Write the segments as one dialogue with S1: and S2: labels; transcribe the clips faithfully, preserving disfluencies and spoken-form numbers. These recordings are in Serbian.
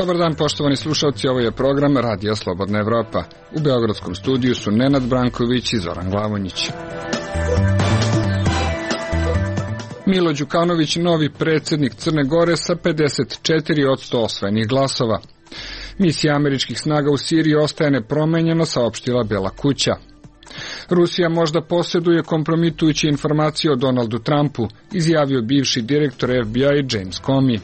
S1: Dobar dan, poštovani slušalci, ovo je program Radija Slobodna Evropa. U beogradskom studiju su Nenad Branković i Zoran Glavonjić. Milo Đukanović, novi predsjednik Crne Gore sa pedeset četiri posto osvojenih glasova. Misija američkih snaga u Siriji ostaje nepromenjena, saopštila Bela kuća. Rusija možda posjeduje kompromitujuće informacije o Donaldu Trumpu, izjavio bivši direktor F B I James Comey.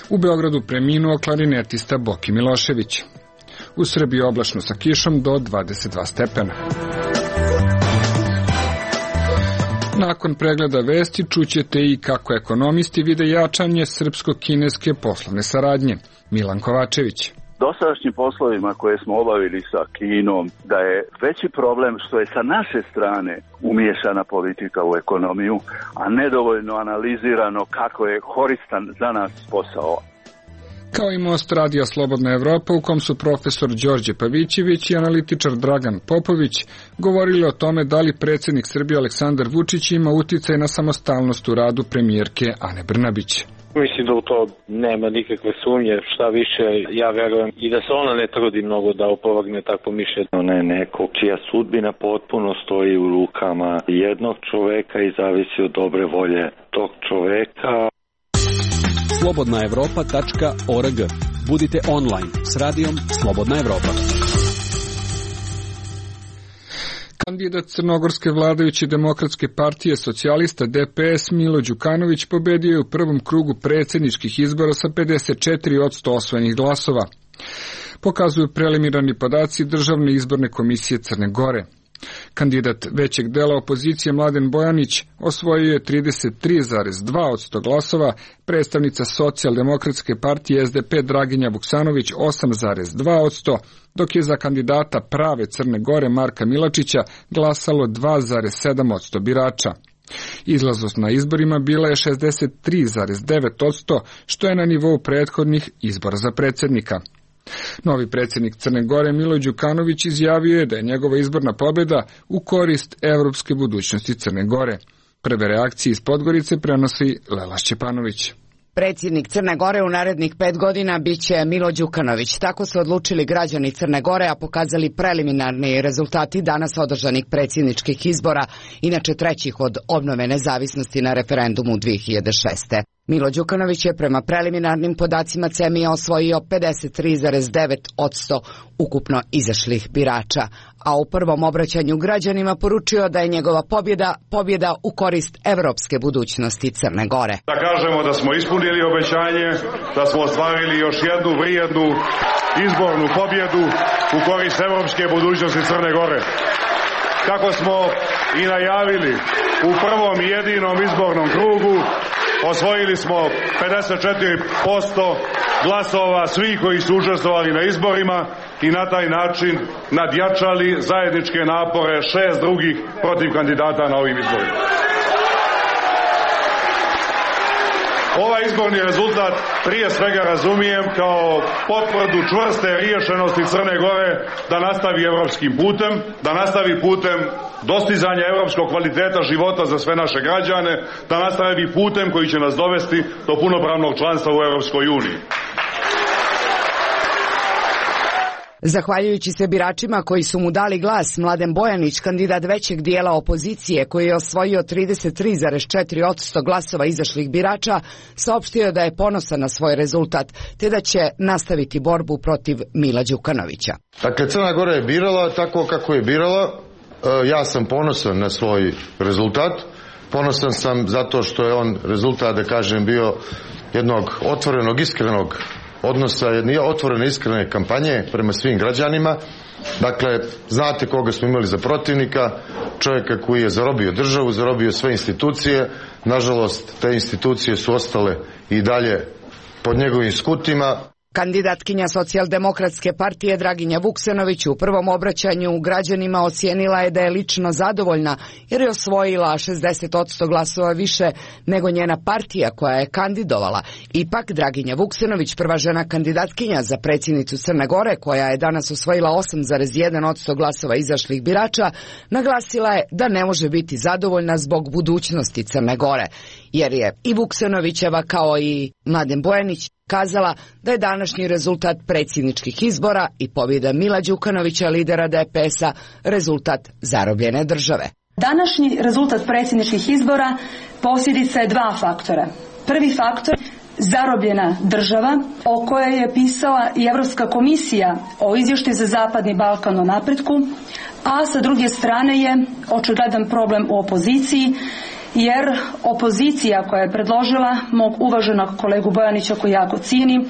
S1: U Beogradu preminuo klarinetista Boki Milošević. U Srbiji oblačno sa kišom do dvadeset dva stepena. Nakon pregleda vesti čućete i kako ekonomisti vide jačanje srpsko-kineske poslovne saradnje. Milan Kovačević.
S2: Dosadašnjim poslovima koje smo obavili sa Kinom, da je veći problem što je sa naše strane umiješana politika u ekonomiju, a nedovoljno analizirano kako je koristan za nas posao.
S1: Kao i Most Radija Slobodna Evropa, u kom su profesor Đorđe Pavićević i analitičar Dragan Popović govorili o tome da li predsjednik Srbije Aleksandar Vučić ima uticaj na samostalnost u radu premijerke Ane Brnabić.
S3: Mislim da u to nema nikakve sumnje, šta više ja verujem i da se ona ne trudi mnogo da opovrgne takvo mišljenje.
S4: Ona je neko čija sudbina potpuno stoji u rukama jednog čoveka i zavisi od dobre volje tog čoveka.
S5: slobodna evropa tačka org. Budite online s radijom Slobodna Evropa.
S1: Kandidat crnogorske vladajuće demokratske partije socijalista D P S Milo Đukanović pobedio je u prvom krugu predsjedničkih izbora sa pedeset četiri posto osvojenih glasova. Pokazuju preliminarni podaci Državne izborne komisije Crne Gore. Kandidat većeg dela opozicije Mladen Bojanić osvojio je trideset tri zarez dva posto glasova, predstavnica socijaldemokratske partije S D P Draginja Vuksanović osam zarez dva posto, dok je za kandidata prave Crne Gore Marka Milačića glasalo dva zarez sedam posto birača. Izlaznost na izborima bila je šezdeset tri zarez devet posto, što je na nivou prethodnih izbora za predsjednika. Novi predsjednik Crne Gore Milo Đukanović izjavio je da je njegova izborna pobjeda u korist evropske budućnosti Crne Gore. Prve reakcije iz Podgorice prenosi Lela Šćepanović.
S6: Predsjednik Crne Gore u narednih pet godina biće Milo Đukanović. Tako su odlučili građani Crne Gore, a pokazali preliminarni rezultati danas održanih predsjedničkih izbora, inače trećih od obnove nezavisnosti na referendumu dve hiljade šeste. Milo Đukanović je prema preliminarnim podacima C E M I osvojio pedeset tri zarez devet posto ukupno izašlih birača, a u prvom obraćanju građanima poručio da je njegova pobjeda pobjeda u korist evropske budućnosti Crne Gore.
S7: Da kažemo da smo ispunili obećanje, da smo ostvarili još jednu vrijednu izbornu pobjedu u korist evropske budućnosti Crne Gore. Kako smo i najavili u prvom i jedinom izbornom krugu, osvojili smo pedeset četiri posto glasova svih koji su učestvovali na izborima i na taj način nadjačali zajedničke napore šest drugih protiv kandidata na ovim izborima. Ovaj izborni rezultat prije svega razumijem kao potvrdu čvrste riješenosti Crne Gore da nastavi evropskim putem, da nastavi putem dostizanja evropskog kvaliteta života za sve naše građane, da nastavi putem koji će nas dovesti do punopravnog članstva u Evropskoj uniji.
S6: Zahvaljujući se biračima koji su mu dali glas, Mladen Bojanić, kandidat većeg dijela opozicije koji je osvojio trideset tri zarez četiri posto glasova izašlih birača, saopštio da je ponosan na svoj rezultat, te da će nastaviti borbu protiv Mila Đukanovića.
S8: Dakle, Crna Gora je birala tako kako je birala. Ja sam ponosan na svoj rezultat. Ponosan sam zato što je on rezultat, da kažem, bio jednog otvorenog, iskrenog odnosa, jedne otvorene, iskrene kampanje prema svim građanima. Dakle, znate koga smo imali za protivnika, čovjeka koji je zarobio državu, zarobio sve institucije. Nažalost, te institucije su ostale i dalje pod njegovim skutima.
S6: Kandidatkinja socijaldemokratske partije Draginja Vuksanović u prvom obraćanju građanima ocijenila je da je lično zadovoljna jer je osvojila šezdeset posto glasova više nego njena partija koja je kandidovala. Ipak Draginja Vuksanović, prva žena kandidatkinja za predsjednicu Crne Gore, koja je danas osvojila osam zarez jedan posto glasova izašlih birača, naglasila je da ne može biti zadovoljna zbog budućnosti Crne Gore, jer je i Vuksanovićeva kao i Mladen Bojanić kazala da je današnji rezultat predsjedničkih izbora i pobjeda Mila Đukanovića, lidera D P S-a, rezultat zarobljene države.
S9: Današnji rezultat predsjedničkih izbora posljedica je dva faktora. Prvi faktor, zarobljena država, o kojoj je pisala i Europska komisija o izvještaju za Zapadni Balkan o napretku, a sa druge strane je očigledan problem u opoziciji, jer opozicija koja je predložila mog uvaženog kolegu Bojanića, koji jako cijenim,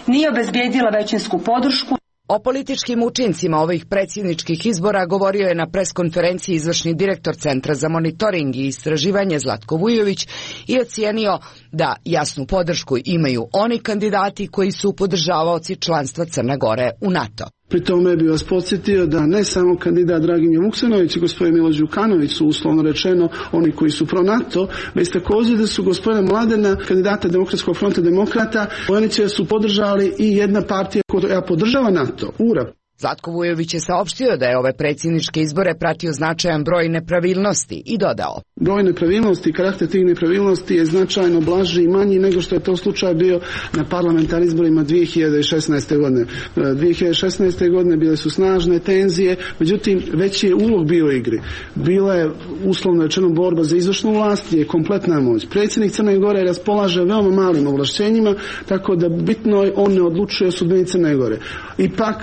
S9: nije obezbijedila većinsku podršku.
S6: O političkim učincima ovih predsjedničkih izbora govorio je na preskonferenciji izvršni direktor Centra za monitoring i istraživanje Zlatko Vujović i ocijenio da jasnu podršku imaju oni kandidati koji su podržavaoci članstva Crne Gore u NATO.
S10: Pri tome bih vas podsjetio da ne samo kandidat Draginja Vuksanović i gospodin Milo Đukanović su uslovno rečeno oni koji su pro NATO, već također da su gospodina Mladena, kandidata Demokratskog fronta demokrata, Bojanića su podržali i jedna partija koja podržava NATO, U R A P.
S6: Zlatko Vujović je saopštio da je ove predsjedničke izbore pratio značajan broj nepravilnosti i dodao:
S10: broj nepravilnosti i karakter tih nepravilnosti je značajno blaži i manji nego što je to slučaj bio na parlamentarnim izborima dvije hiljade šesnaeste. godine. dvije hiljade šesnaeste. godine bile su snažne tenzije, međutim veći je ulog bio u igri. Bila je uslovno rečeno borba za izvršnu vlast, je kompletna moć. Predsjednik Crne Gore raspolaže veoma malim ovlašćenjima, tako da bitno je on ne odlučuje o sudbini Crne Gore. Ipak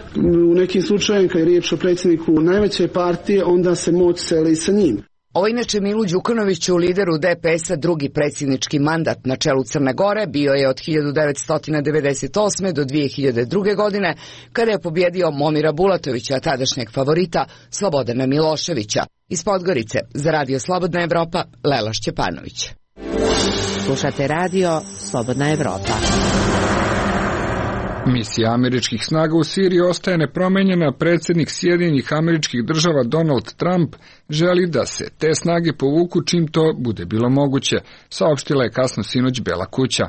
S10: u nekim slučajevima kad je riječ o predsjedniku najveće partije, onda se moć seli sa njim.
S6: Ovo inače Milu Đukanoviću, lideru D P S-a, drugi predsjednički mandat na čelu Crne Gore, bio je od hiljadu devetsto devedeset osme. do dvije hiljade druge. godine, kada je pobjedio Momira Bulatovića, tadašnjeg favorita Slobodana Miloševića. Iz Podgorice, za Radio Slobodna Evropa, Lela Šćepanović.
S11: Slušate radio Slobodna Evropa.
S1: Misija američkih snaga u Siriji ostaje nepromenjena. Predsjednik Sjedinjenih Američkih Država Donald Trump želi da se te snage povuku čim to bude bilo moguće, saopštila je kasno sinoć Bela kuća.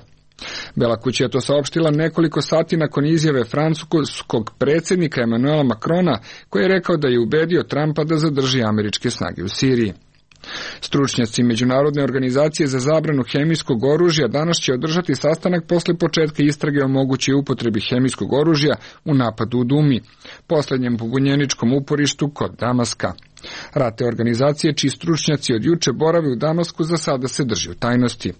S1: Bela kuća je to saopštila nekoliko sati nakon izjave francuskog predsjednika Emmanuela Macrona, koji je rekao da je ubedio Trumpa da zadrži američke snage u Siriji. Stručnjaci Međunarodne organizacije za zabranu hemijskog oružja danas će održati sastanak posle početka istrage o mogućoj upotrebi hemijskog oružja u napadu u Dumi, posljednjem pobunjeničkom uporištu kod Damaska. Rad te organizacije, čiji stručnjaci od juče borave u Damasku, za sada se drži u tajnosti.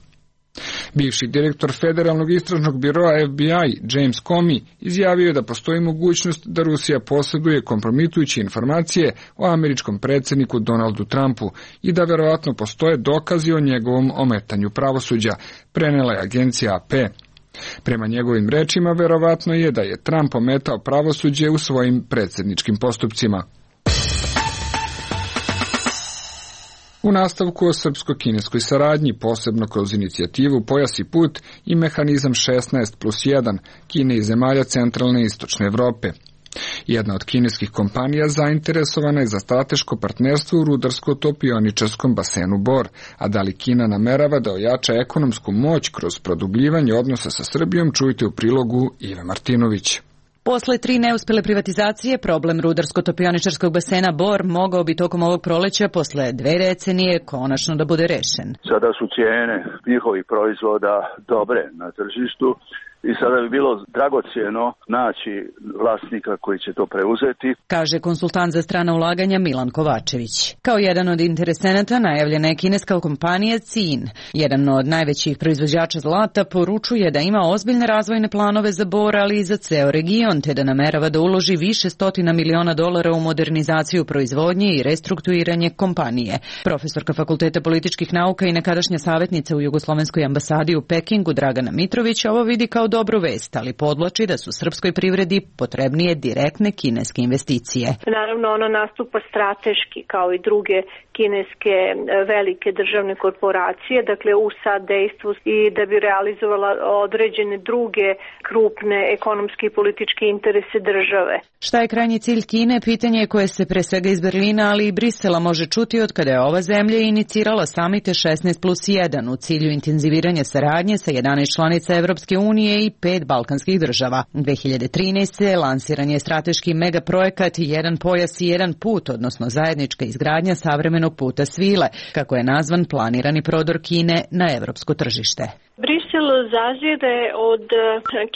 S1: Bivši direktor Federalnog istražnog biroa F B I James Comey izjavio je da postoji mogućnost da Rusija posjeduje kompromitujuće informacije o američkom predsjedniku Donaldu Trumpu i da verovatno postoje dokazi o njegovom ometanju pravosuđa, prenela je agencija A P. Prema njegovim rečima, verovatno je da je Trump ometao pravosuđe u svojim predsjedničkim postupcima. U nastavku o srpsko-kineskoj saradnji, posebno kroz inicijativu Pojas i put i mehanizam šesnaest plus jedan Kine i zemalja centralne i istočne Evrope. Jedna od kineskih kompanija zainteresovana je za strateško partnerstvo u rudarsko-topioničarskom basenu Bor, a da li Kina namerava da ojača ekonomsku moć kroz produbljivanje odnosa sa Srbijom, čujte u prilogu Ive Martinović.
S12: Posle tri neuspele privatizacije, problem rudarsko-topioničarskog basena Bor mogao bi tokom ovog proleća posle dve decenije konačno da bude rešen.
S2: Sada su cijene njihovih proizvoda dobre na tržištu i sada bi bilo dragocjeno naći vlasnika koji će to preuzeti,
S12: kaže konsultant za strana ulaganja Milan Kovačević. Kao jedan od interesenata najavljena je kineska kompanija C I N. Jedan od najvećih proizvođača zlata poručuje da ima ozbiljne razvojne planove za Bor, ali i za ceo region, te da namerava da uloži više stotina miliona dolara u modernizaciju proizvodnje i restrukturiranje kompanije. Profesorka Fakulteta političkih nauka i nekadašnja savjetnica u Jugoslovenskoj ambasadi u Pekingu Dragana Mitrović ovo vidi kao dobru vest, ali podvlači da su srpskoj privredi potrebnije direktne kineske investicije.
S13: Naravno, ona nastupa strateški kao i druge kineske velike državne korporacije, dakle u saddejstvu i da bi realizovala određene druge krupne ekonomske i političke interese države.
S12: Šta je krajnji cilj Kine? Pitanje je koje se pre svega iz Berlina, ali i Brisela može čuti od kada je ova zemlja inicirala samite šesnaest plus jedan u cilju intenziviranja saradnje sa jedanaest članica Evropske unije i pet balkanskih država. dve hiljade trinaeste. lansiran je strateški megaprojekat Jedan pojas i jedan put, odnosno zajednička izgradnja savremenog puta svile, kako je nazvan planirani prodor Kine na evropsko tržište.
S13: Brisel zazire od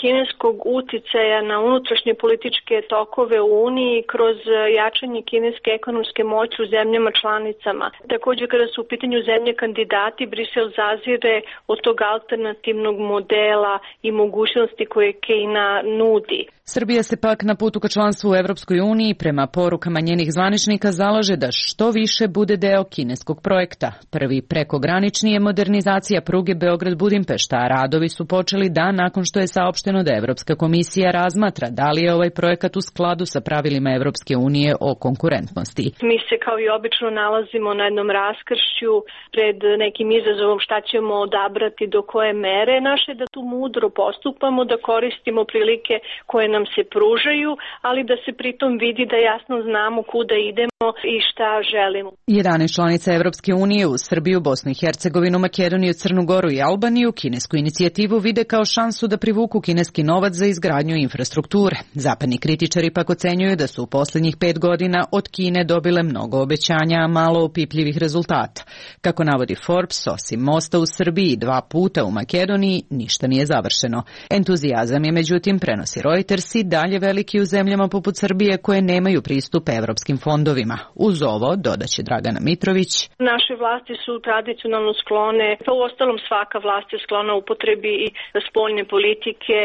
S13: kineskog uticaja na unutrašnje političke tokove u Uniji kroz jačanje kineske ekonomske moći u zemljama članicama. Također, kada su u pitanju zemlje kandidati, Brisel zazire od tog alternativnog modela i mogućnosti koje Kina nudi.
S12: Srbija se pak na putu ka članstvu u Evropskoj uniji prema porukama njenih zvaničnika zalaže da što više bude deo kineskog projekta. Prvi prekogranični je modernizacija pruge Beograd-Budimpešta, a radovi su počeli dan nakon što je saopšteno da Evropska komisija razmatra da li je ovaj projekat u skladu sa pravilima Evropske unije o konkurentnosti.
S13: Mi se kao i obično nalazimo na jednom raskršću pred nekim izazovom šta ćemo odabrati do koje mere. Naše da tu mudro postupamo, da koristimo prilike koje nam se pružaju, ali da se pritom vidi da jasno znamo kuda idemo i šta želimo.
S12: jedanaest članica Evropske unije uz Srbiju, Bosnu i Hercegovinu, Makedoniju, Crnu Goru i Albaniju kinesku inicijativu vide kao šansu da privuku kineski novac za izgradnju infrastrukture. Zapadni kritičari pak ocenjuju da su u posljednjih pet godina od Kine dobile mnogo obećanja, a malo opipljivih rezultata. Kako navodi Forbes, osim mosta u Srbiji i dva puta u Makedoniji, ništa nije završeno. Entuzijazam je međutim, prenosi Reuters, i dalje veliki u zemljama poput Srbije koje nemaju pristup evropskim fondovima. Uz ovo, dodaće Dragana Mitrović,
S13: naše vlasti su tradicionalno sklone, pa u ostalom svaka vlast je sklona upotrebi i spoljne politike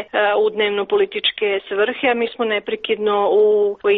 S13: u dnevno-političke svrhe, a mi smo neprekidno u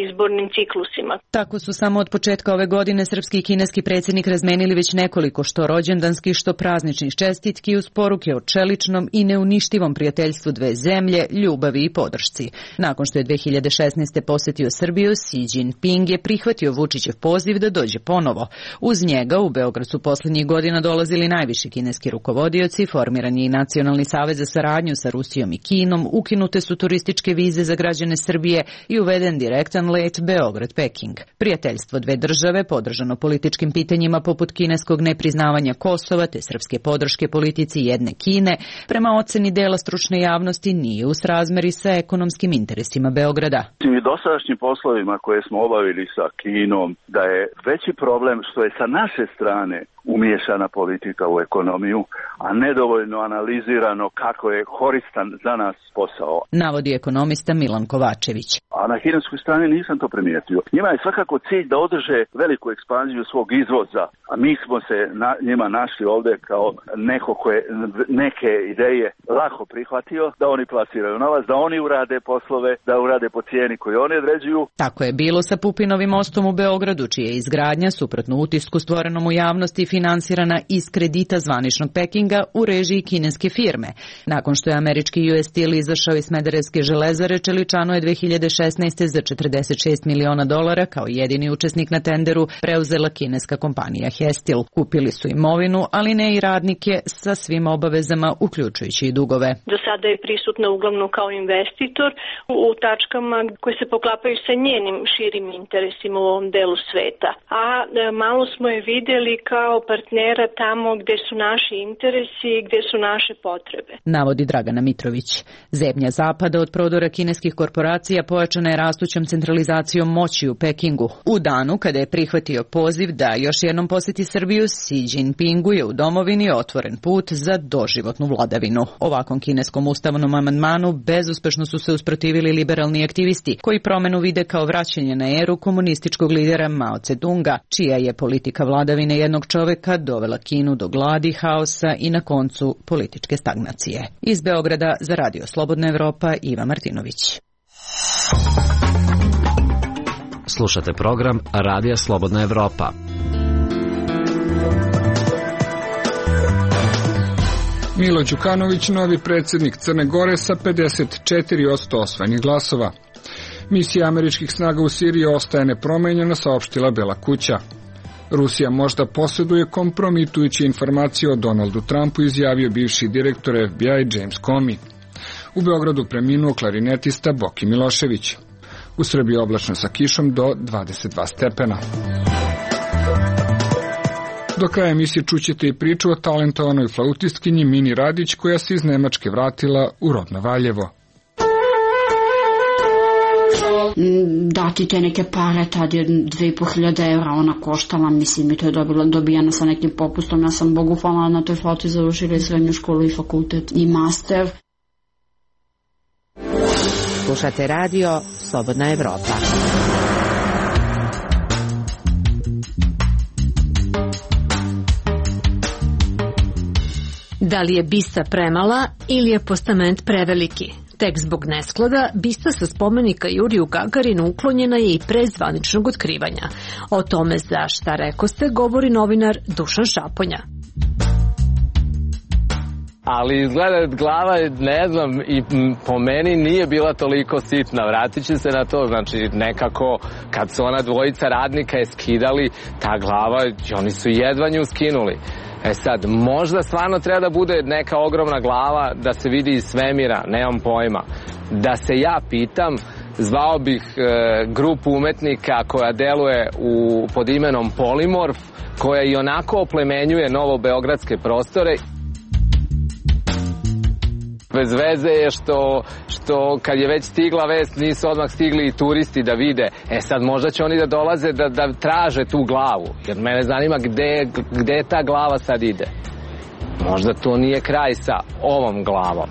S13: izbornim ciklusima.
S12: Tako su samo od početka ove godine srpski i kineski predsjednik razmenili već nekoliko što rođendanskih, što prazničnih čestitki uz poruke o čeličnom i neuništivom prijateljstvu dve zemlje, ljubavi i podršci. Nakon što je dve hiljade šesnaeste. posjetio Srbiju, Xi Jinping je prihvatio Vučićev poziv da dođe ponovo. Uz njega u Beograd su posljednjih godina dolazili najviši kineski rukovodioci, formiran je i Nacionalni savez za saradnju sa Rusijom i Kinom, ukinute su turističke vize za građane Srbije i uveden direktan let Beograd-Peking. Prijateljstvo dve države, podržano političkim pitanjima poput kineskog nepriznavanja Kosova te srpske podrške politici jedne Kine, prema oceni dela stručne javnosti nije u srazmeri sa ekonomskim interesima Beograda.
S2: I dosadašnjim poslovima koje smo obavili sa Kinom, da je veći problem što je sa naše strane umiješana politika u ekonomiju, a nedovoljno analizirano kako je koristan za nas posao.
S12: Navodi ekonomista Milan Kovačević.
S2: A na kineskoj strani nisam to primijetio. Njima je svakako cilj da održe veliku ekspanziju svog izvoza, a mi smo se na, njima našli ovdje kao neko koje neke ideje lako prihvatio, da oni plasiraju novac, da oni urade poslove, da urade po cijeni koju oni određuju.
S12: Tako je bilo sa Pupinovim mostom u Beogradu, čija je izgradnja, suprotno utisku stvorenom u javnosti, finansirana iz kredita zvaničnog Pekinga u režiji kineske firme. Nakon što je američki U S Steel izašao iz Smederevske železare, Čeličano je dve hiljade šesnaeste. za četrdeset šest miliona dolara kao jedini učesnik na tenderu preuzela kineska kompanija Hestil. Kupili su imovinu, ali ne i radnike sa svim obavezama, uključujući i dugove.
S13: Do sada je prisutna uglavnom kao investitor u tačkama koje se poklapaju sa njenim širim interesima u ovom delu sveta. A malo smo je vidjeli kao partnera tamo gdje su naši interesi i gdje su naše potrebe.
S12: Navodi Dragana Mitrović. Zemlja zapada od prodora kineskih korporacija pojačana je rastućom centralizacijom moći u Pekingu. U danu kada je prihvatio poziv da još jednom posjeti Srbiju, Xi Jinpingu je u domovini otvoren put za doživotnu vladavinu. Ovakvom kineskom ustavnom amandmanu bezuspešno su se usprotivili liberalni aktivisti, koji promenu vide kao vraćanje na eru komunističkog lidera Mao Tse-tunga, čija je politika vladavine jednog čovjeka dovela Kinu do gladi, haosa i na koncu političke stagnacije. Iz Beograda za Radio Slobodna Evropa, Iva Martinović.
S14: Slušate program Radija Slobodna Evropa.
S1: Milo Đukanović, novi predsjednik Crne Gore sa pedeset četiri posto osvojenih glasova. Misija američkih snaga u Siriji ostaje nepromenjena, saopštila Bela kuća. Rusija možda posjeduje kompromitujuće informacije o Donaldu Trumpu, izjavio bivši direktor F B I James Comey. U Beogradu preminuo klarinetista Boki Milošević. U Srbiji oblačno sa kišom do dvadeset dva stepena. Do kraja emisije čućete i priču o talentovanoj flautistkinji Mini Radić, koja se iz Nemačke vratila u rodno Valjevo.
S15: dati te neke pare, tad je dve i po hiljade evra ona koštala, mislim i to je dobila, dobijena sa nekim popustom. Ja sam Bogu hvala na toj floti završila i srednju školu i fakultet i master.
S11: Slušate radio Slobodna Evropa.
S16: Da li je bista premala ili je postament preveliki? Tek zbog nesklada, bista sa spomenika Juriju Gagarinu uklonjena je i pre zvaničnog otkrivanja. O tome za Šta rekoste govori novinar Dušan Šaponja.
S17: Ali izgleda glava, ne znam, i po meni nije bila toliko sitna. Vratit ću se na to, znači nekako kad su ona dvojica radnika je skidali, ta glava, oni su jedva nju skinuli. E sad, možda stvarno treba da bude neka ogromna glava da se vidi iz svemira, nemam pojma. Da se ja pitam, zvao bih e, grupu umetnika koja deluje u, pod imenom Polimorf, koja i onako oplemenjuje novobeogradske prostore. Bez veze je što, što kad je već stigla vest nisu odmah stigli i turisti da vide. E sad možda će oni da dolaze da, da traže tu glavu. Jer mene zanima gde, gde ta glava sad ide. Možda to nije kraj sa ovom glavom.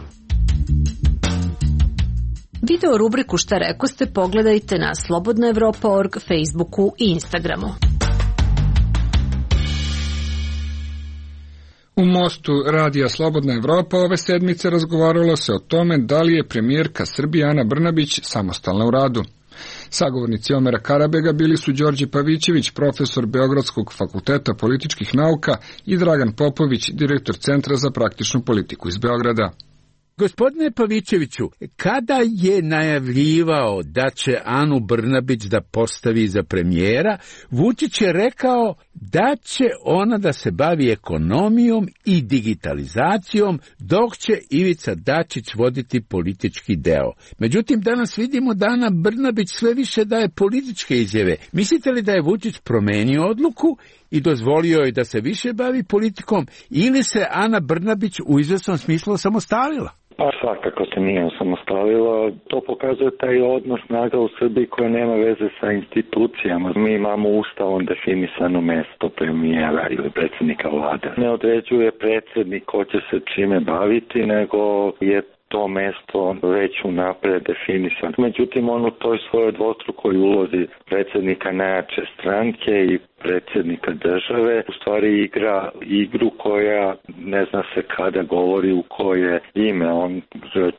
S16: Video rubriku Šta rekoste pogledajte na slobodna evropa tačka org, Facebooku i Instagramu.
S1: U mostu Radija Slobodna Evropa ove sedmice razgovaralo se o tome da li je premijerka Srbije Ana Brnabić samostalna u radu. Sagovornici Omera Karabega bili su Đorđe Pavićević, profesor Beogradskog fakulteta političkih nauka i Dragan Popović, direktor Centra za praktičnu politiku iz Beograda.
S18: Gospodine Pavićeviću, kada je najavljivao da će Anu Brnabić da postavi za premijera, Vučić je rekao da će ona da se bavi ekonomijom i digitalizacijom, dok će Ivica Dačić voditi politički deo. Međutim, danas vidimo da Ana Brnabić sve više daje političke izjave. Mislite li da je Vučić promenio odluku i dozvolio je da se više bavi politikom, ili se Ana Brnabić u izvesnom smislu samostalila?
S4: Pa svakako se nije osamostalila. To pokazuje taj odnos snaga u Srbiji koja nema veze sa institucijama. Mi imamo ustavom definisano mesto premijera ili predsjednika vlade. Ne određuje predsjednik ko će se čime baviti, nego je to mesto već unapred definisano. Međutim, on u toj svojoj dvostrukoj ulozi predsjednika najjače stranke i predsjednika države u stvari igra igru koja ne zna se kada govori u koje ime. On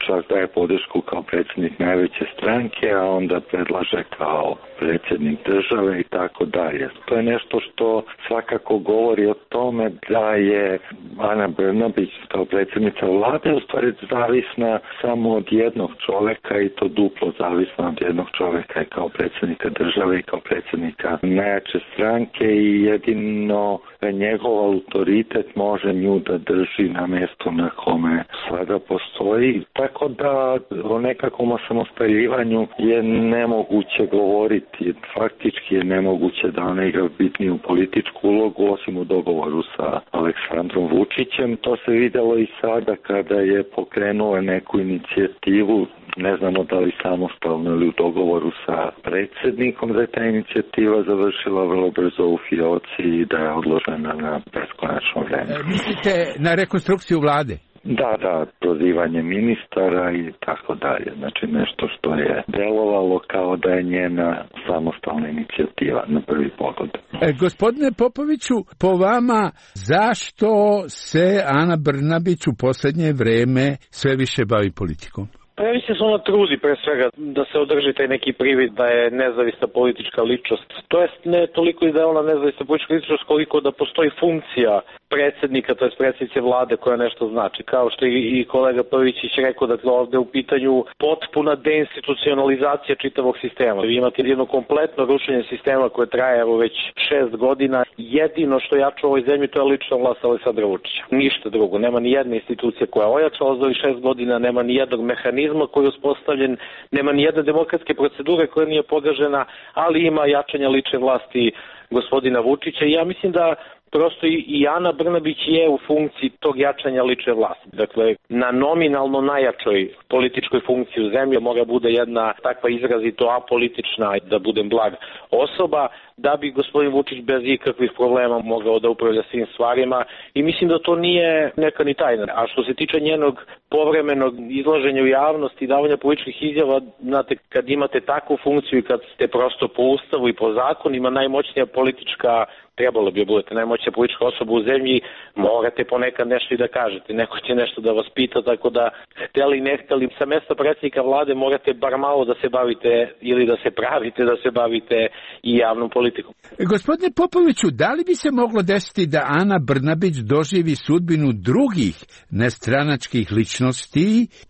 S4: čak daje podršku kao predsjednik najveće stranke, a onda predlaže kao predsjednik države i tako dalje. To je nešto što svakako govori o tome da je Ana Brnabić kao predsjednica vlade u stvari zavisna samo od jednog čoveka i to duplo zavisna od jednog čoveka i kao predsjednika države i kao predsjednika najjače stranke i jedino njegov autoritet može nju da drži na mjestu na kome sada postoji. Tako da o nekakvom osamostaljivanju je nemoguće govoriti. Faktički je nemoguće da ona igra bitniju političku ulogu osim u dogovoru sa Aleksandrom Vučićem. To se vidjelo i sada kada je pokrenula neku inicijativu, ne znamo da li samostalno ili u dogovoru sa predsjednikom, da je ta inicijativa završila vrlo brzo u fioci i da je odložena na beskonačno vreme.
S18: E, mislite na rekonstrukciju vlade?
S4: Da, da, prozivanje ministara i tako dalje. Znači nešto što je delovalo kao da je njena samostalna inicijativa na prvi pogled.
S18: E, gospodine Popoviću, po vama zašto se Ana Brnabić u posljednje vreme sve više bavi politikom?
S3: Pa ja mislim da se ona trudi pre svega da se održi taj neki privid da je nezavisna politička ličnost. To jest ne toliko i da je ona nezavisna politička ličnost koliko da postoji funkcija predsjednika, to jest predsjednice vlade koja nešto znači. Kao što i kolega Pavićić rekao, dakle ovdje u pitanju potpuna deinstitucionalizacija čitavog sistema. Vi imate jedno kompletno rušenje sistema koje traje evo već šest godina. Jedino što jača u ovoj zemlji to je lična vlast Aleksandra Vučića. Ništa drugo. Nema ni jedne institucije koja je ojačala za ovih šest godina, nema ni jednog mehanizma koji je uspostavljen, nema ni jedne demokratske procedure koja nije pogažena, ali ima jačanja lične vlasti gospodina Vučića i ja mislim da prosto i Ana Brnabić je u funkciji tog jačanja lične vlasti. Dakle, na nominalno najjačoj političkoj funkciji u zemlji mora bude jedna takva izrazito apolitična, da budem blag, osoba, da bi gospodin Vučić bez ikakvih problema mogao da upravlja svim stvarima i mislim da to nije neka ni tajna. A što se tiče njenog povremenog izlaženja u javnosti i davanja političkih izjava, znate, kad imate takvu funkciju i kad ste prosto po ustavu i po zakonima najmoćnija politička, trebalo bi da budete najmoćnija politička osoba u zemlji, morate ponekad nešto i da kažete, neko će nešto da vas pita, tako da hteli ne hteli, sa mesta predsjednika vlade morate bar malo da se bavite ili da se pravite da se bavite i javnom politikom.
S18: Gospodine Popoviću, da li bi se moglo desiti da Ana Brnabić doživi sudbinu drugih nestranačkih ličnosti,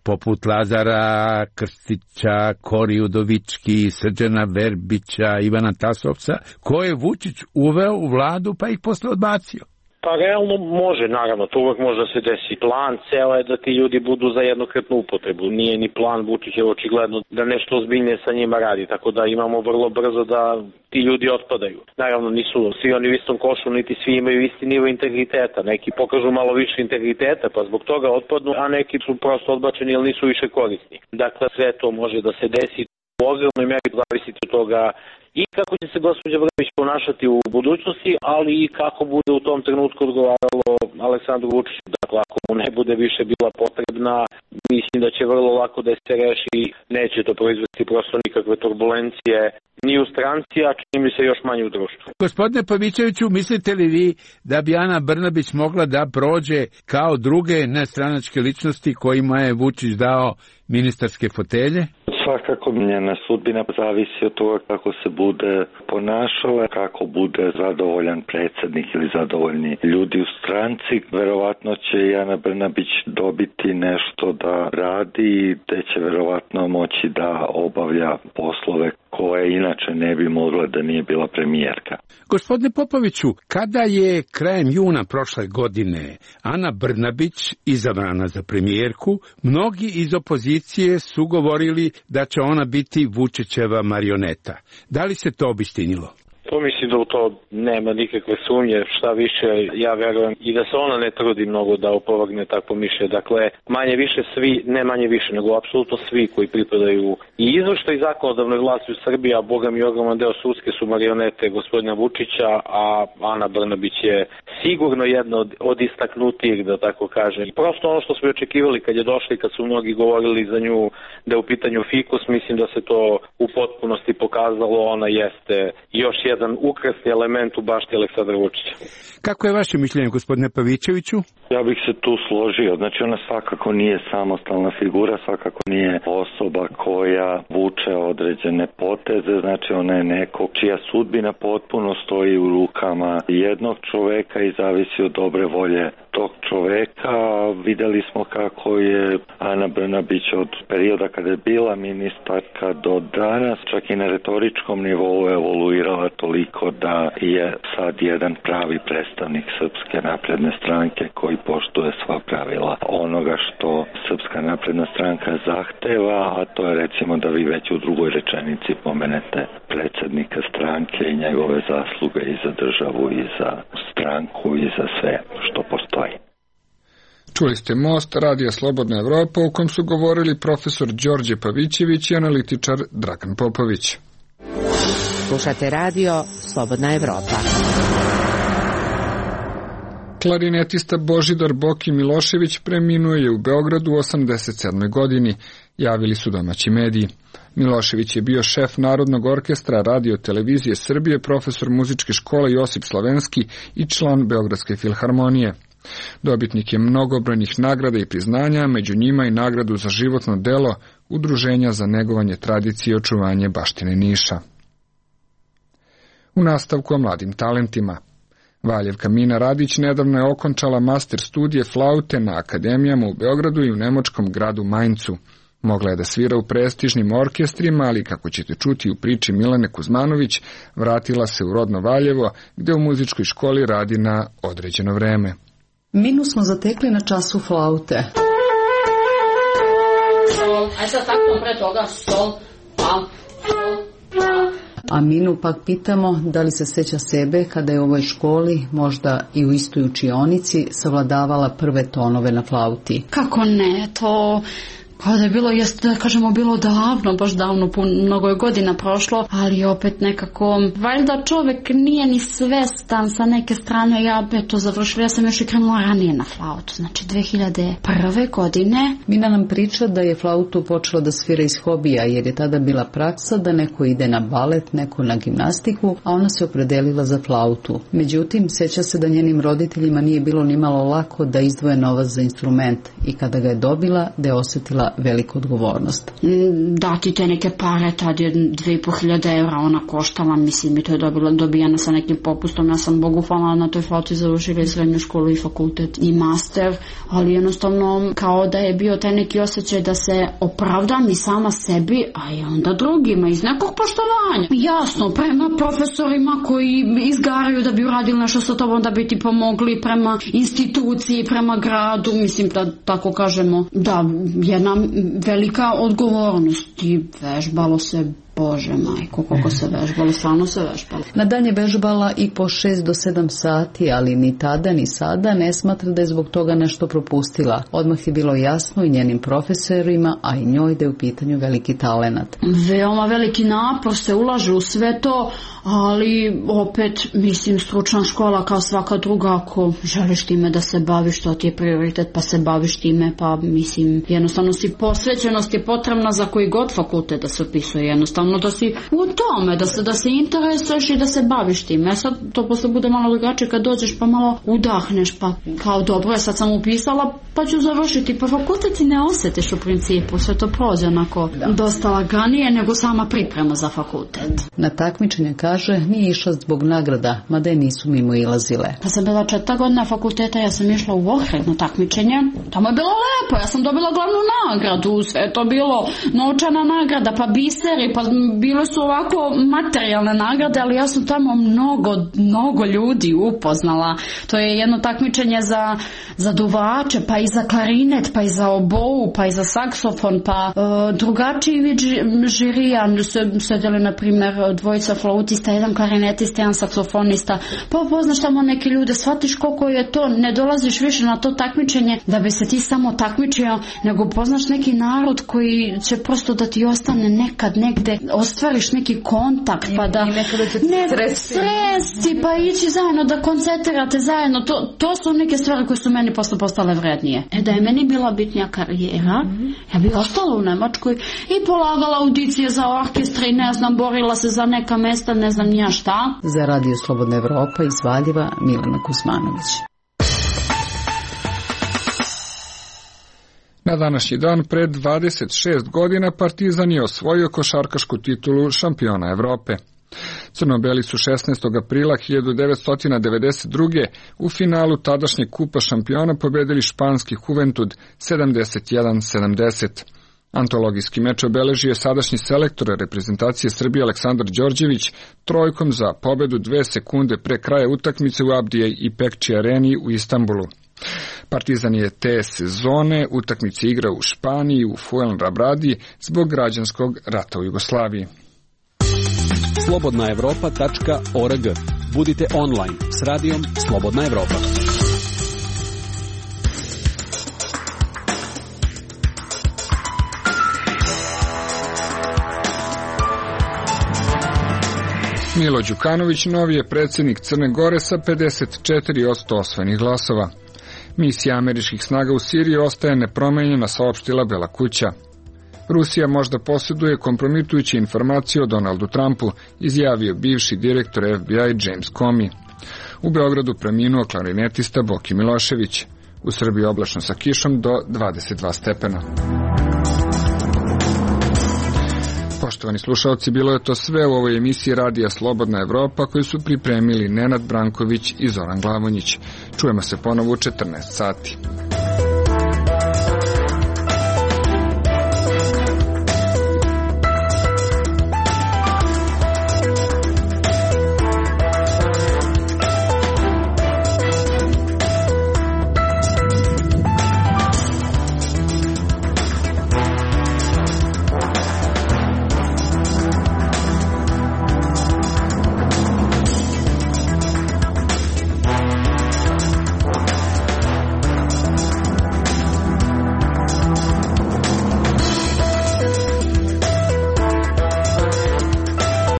S18: poput Lazara Krstića, Kori Udovički, Srđana Verbića, Ivana Tasovca, koje je Vučić uveo u vladu pa ih posle odbacio?
S3: Pa realno može, naravno, to uvek može da se desi. Plan ceo je da ti ljudi budu za jednokratnu upotrebu. Nije ni plan Vučićev očigledno da nešto ozbiljnije sa njima radi, tako da imamo vrlo brzo da ti ljudi otpadaju. Naravno, nisu svi oni u istom košu, niti svi imaju isti nivo integriteta. Neki pokažu malo više integriteta, pa zbog toga otpadnu, a neki su prosto odbačeni ili nisu više korisni. Dakle, sve to može da se desi. U ogromnoj meri zavisiti od toga i kako će se gospođa Brnabić ponašati u budućnosti, ali i kako bude u tom trenutku odgovaralo Aleksandru Vučiću. Dakle, ako mu ne bude više bila potrebna, mislim da će vrlo lako da se reši, neće to proizvesti prosto nikakve turbulencije ni u stranci, a čini mi se još manje u društvu.
S18: Gospodine Pavićeviću, mislite li vi da bi Ana Brnabić mogla da prođe kao druge nestranačke ličnosti kojima je Vučić dao ministarske fotelje?
S4: Svakako njena sudbina zavisi od toga kako se bude ponašala, kako bude zadovoljan predsjednik ili zadovoljni ljudi u stranci. Verovatno će i Ana Brnabić dobiti nešto da radi, te će verovatno moći da obavlja poslove koje inače ne bi mogla da nije bila premijerka.
S18: Gospodine Popoviću, kada je krajem juna prošle godine Ana Brnabić izabrana za premijerku, mnogi iz opozicije su govorili da će ona biti Vučićeva marioneta. Da li se to obistinilo?
S3: To mislim da u to nema nikakve sumnje, šta više, ja verujem i da se ona ne trudi mnogo da opovrgne takvo mišljenje. Dakle, manje više svi, ne manje više, nego apsolutno svi koji pripadaju i izvršnoj i zakonodavnoj vlasti u Srbiji, a boga mi ogroman deo sudske su marionete gospodina Vučića, a Ana Brnabić je sigurno jedna od, od istaknutijih, da tako kažem. Prosto ono što smo očekivali kad je došli, kad su mnogi govorili za nju da je u pitanju fikus, mislim da se to u potpunosti pokazalo, ona jeste još jedan jedan ukrasni element u bašti Aleksandra Vučića.
S18: Kako je vaše mišljenje, gospodine Pavićeviću?
S4: Ja bih se tu složio. Znači, ona svakako nije samostalna figura, svakako nije osoba koja vuče određene poteze, znači ona je neko čija sudbina potpuno stoji u rukama jednog čoveka i zavisi od dobre volje tog čoveka. Videli smo kako je Ana Brnabić od perioda kada je bila ministarka do danas, čak i na retoričkom nivou evoluirala toliko da je sad jedan pravi predstavnik Srpske napredne stranke koji poštuje sva pravila onoga što Srpska napredna stranka zahteva, a to je recimo da vi već u drugoj rečenici pomenete predsjednika stranke i njegove zasluge i za državu i za stranku i za sve što postoji.
S1: Čuli ste Most, Radija Slobodna Evropa, u kom su govorili profesor Đorđe Pavićević i analitičar Dragan Popović.
S11: Slušate radio Slobodna Evropa.
S1: Klarinetista Božidar Boki Milošević preminuo je u Beogradu u osamdeset sedmoj godini, javili su domaći mediji. Milošević je bio šef Narodnog orkestra Radio Televizije Srbije, profesor muzičke škole Josip Slavenski i član Beogradske filharmonije. Dobitnik je mnogobrojnih nagrada i priznanja, među njima i nagradu za životno delo Udruženja za negovanje tradicije i očuvanje baštine Niša. U nastavku o mladim talentima. Valjevka Mina Radić nedavno je okončala master studije flaute na akademijama u Beogradu i u nemačkom gradu Maincu. Mogla je da svira u prestižnim orkestrima, ali kako ćete čuti u priči Milane Kuzmanović, vratila se u rodno Valjevo, gde u muzičkoj školi radi na određeno vreme.
S19: Minu smo zatekli na času flaute.
S15: Sol, aj sad tako pre toga, sol, pa, sol, pa.
S19: A Minu pak pitamo da li se seća sebe kada je u ovoj školi, možda i u istoj učionici, savladavala prve tonove na flauti.
S15: Kako ne, to... Kao da je bilo, jeste da kažemo bilo davno, baš davno, mnogo je godina prošlo, ali opet nekako, valjda čovjek nije ni svestan sa neke strane, ja be to završila, ja sam još i krenula ranije na flautu, znači dve hiljade prve godine.
S19: Mina nam priča da je flautu počela da svira iz hobija, jer je tada bila praksa da neko ide na balet, neko na gimnastiku, a ona se opredelila za flautu. Međutim, seća se da njenim roditeljima nije bilo nimalo lako da izdvoje novac za instrument i kada ga je dobila, da je osjetila veliku odgovornost.
S15: Dati te neke pare, tad je dve i po hiljade evra ona koštala, mislim, i to je dobila, dobijana sa nekim popustom. Ja sam Bogu hvala na toj flauti završila i srednju školu i fakultet i master, ali jednostavno kao da je bio taj neki osjećaj da se opravdam i sama sebi, a i onda drugima iz nekog poštovanja. Jasno, prema profesorima koji izgaraju da bi uradili nešto sa tobom, da bi ti pomogli, prema instituciji, prema gradu, mislim da tako kažemo, da jedna velika odgovornost i vežbalo se, Bože majko, koliko se vežbalo, stvarno se vežbalo.
S19: Na dan je vežbala i po šest do sedam sati, ali ni tada ni sada ne smatra da je zbog toga nešto propustila. Odmah je bilo jasno i njenim profesorima, a i njoj da je u pitanju veliki talenat.
S15: Veoma veliki napor se ulaže u sve to, ali opet, mislim, stručna škola kao svaka druga, ako želiš time da se baviš, to ti je prioritet, pa se baviš time, pa mislim, jednostavno si posvećenost je potrebna za koji god fakultet da se upisuje, jednostavno da si u tome, da se, da se interesuješ i da se baviš time. Sad to posle bude malo drugačije kad dođeš pa malo udahneš, pa kao dobro je, sad sam upisala pa ću završiti, pa fakultet ti ne osjetiš u principu, sve to prođe onako da. Dosta laganije nego sama priprema za fakultet.
S19: Na takmičenje, kaže, nije išla zbog nagrada, mada je nisu mimo ilazile.
S15: Kad sam bila četvrta godina fakulteta, ja sam išla u Ohrid na takmičenje, tamo je bilo lepo, ja sam dobila glavnu nagradu, sve je to bilo novčana nagrada, pa biseri, pa bile su ovako materijalne nagrade, ali ja sam tamo mnogo, mnogo ljudi upoznala. To je jedno takmičenje za, za duvače, pa i za klarinet, pa i za obou, pa i za saksofon, pa e, drugačiji vid žirija. Sedeli, na primjer, dvojica flautista, jedan klarinetista, jedan saksofonista, pa upoznaš tamo neke ljude, shvatiš koliko je to, ne dolaziš više na to takmičenje da bi se ti samo takmičio, nego upoznaš neki narod koji će prosto da ti ostane nekad negde, ostvariš neki kontakt, pa da ne stresi, pa ići zajedno, da koncentrirate zajedno, to, to su neke stvari koje su meni posle postale vrednije. E da je meni bila bitnija karijera, mm-hmm. ja bi ostala u Nemačkoj i polagala audicije za orkestre i ne znam, borila se za neka mesta, ne znam nija šta.
S19: Za Radio Slobodna Evropa iz Valjeva, Milena Kuzmanović.
S1: Na današnji dan pred dvadeset šest godina Partizan je osvojio košarkašku titulu šampiona Evrope. Crno-beli su šesnaestog aprila hiljadu devetsto devedeset druge u finalu tadašnjeg kupa šampiona pobedili španski Juventud sedamdeset jedan sedamdeset. Antologijski meč obeležio je sadašnji selektor reprezentacije Srbije Aleksandar Đorđević trojkom za pobedu dve sekunde pre kraja utakmice u Abdije i Pekči areni u Istanbulu. Partizan je te sezone utakmice igrao u Španiji u Fuenlabradi zbog građanskog rata u Jugoslaviji.
S5: slobodna evropa tačka org. Budite online s radijom Slobodna Evropa.
S1: Milo Đukanović novi je predsjednik Crne Gore sa pedeset četiri posto osvojenih glasova. Misija američkih snaga u Siriji ostaje nepromenjena, saopštila Bela kuća. Rusija možda posjeduje kompromitujuće informacije o Donaldu Trumpu, izjavio bivši direktor F B I James Comey. U Beogradu preminuo klarinetista Boki Milošević. U Srbiji oblačno sa kišom do dvadeset dva stepena. Poštovani slušalci, bilo je to sve u ovoj emisiji Radija Slobodna Evropa koju su pripremili Nenad Branković i Zoran Glavonjić. Čujemo se ponovo u četrnaest sati.